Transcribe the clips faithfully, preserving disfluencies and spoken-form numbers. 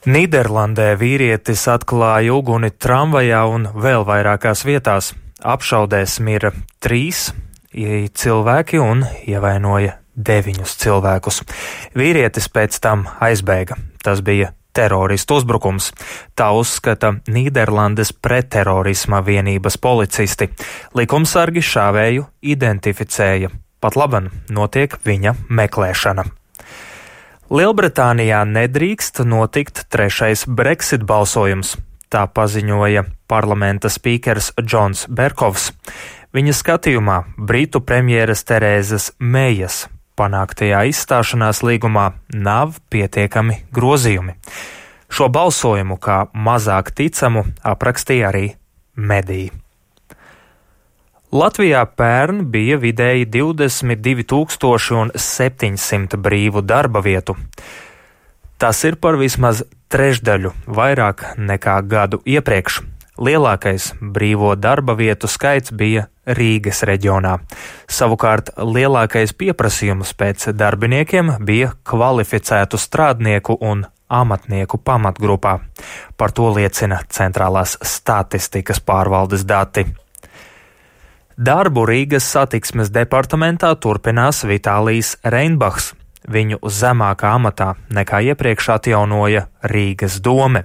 Nīderlandē vīrietis atklāja uguni tramvajā un vēl vairākās vietās. Apšaudēs mira trīs cilvēki un ievainoja deviņus cilvēkus. Vīrietis pēc tam aizbēga. Tas bija teroristu uzbrukums. Tā uzskata Nīderlandes pretterorisma vienības policisti. Likumsargi šāvēju identificēja. Pat laban notiek viņa meklēšana. Lielbritānijā nedrīkst notikt trešais Brexit balsojums, tā paziņoja parlamenta spīkers Džons Berkovs. Viņa skatījumā Britu premjeras Terēzes Meijas panāktajā izstāšanās līgumā nav pietiekami grozījumi. Šo balsojumu kā mazāk ticamu aprakstīja arī mediji. Latvijā pērn bija vidēji divdesmit divi tūkstoši septiņsimt brīvu darba vietu. Tas ir par vismaz trešdaļu vairāk nekā gadu iepriekš. Lielākais brīvo darba vietu skaits bija Rīgas reģionā. Savukārt lielākais pieprasījums pēc darbiniekiem bija kvalificētu strādnieku un amatnieku pamatgrupā. Par to liecina Centrālās statistikas pārvaldes dati. Darbu Rīgas satiksmes departamentā turpinās Vitālijs Reinbachs. Viņu zemākā amatā nekā iepriekš atjaunoja Rīgas dome.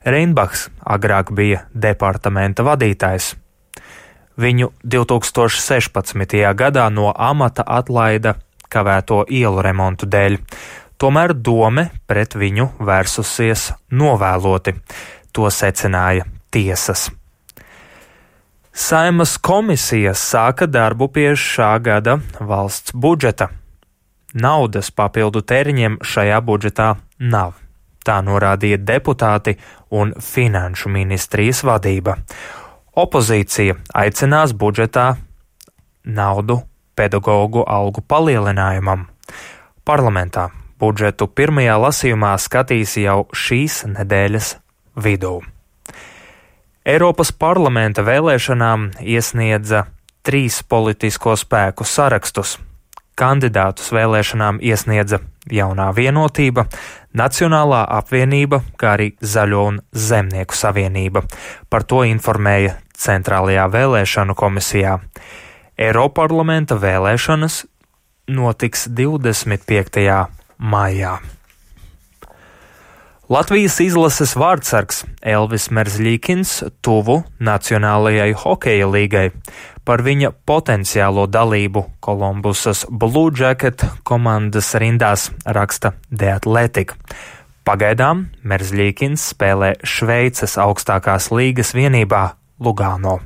Reinbachs agrāk bija departamenta vadītājs. Viņu divi tūkstoši sešpadsmitajā gadā no amata atlaida kavēto ielu remontu dēļ. Tomēr dome pret viņu vērsusies novēloti. To secināja tiesas. Saeimas komisijas sāka darbu pie šā gada valsts budžeta. Naudas papildu tēriņiem šajā budžetā nav. Tā norādīja deputāti un finanšu ministrijas vadība. Opozīcija aicinās budžetā naudu pedagogu algu palielinājumam. Parlamentā budžetu pirmajā lasījumā skatīs jau šīs nedēļas vidū. Eiropas parlamenta vēlēšanām iesniedza trīs politisko spēku sarakstus. Kandidātus vēlēšanām iesniedza Jaunā vienotība, Nacionālā apvienība, kā arī Zaļo un Zemnieku savienība. Par to informēja Centrālajā vēlēšanu komisijā. Eiroparlamenta vēlēšanas notiks divdesmit piektajā maijā. Latvijas izlases vārdsargs Elvis Merzļikins tuvu Nacionālajai hokeja līgai. Par viņa potenciālo dalību Kolumbusas Blue Jacket komandas rindās raksta The Athletic. Pagaidām Merzļikins spēlē Šveices augstākās līgas vienībā Lugano.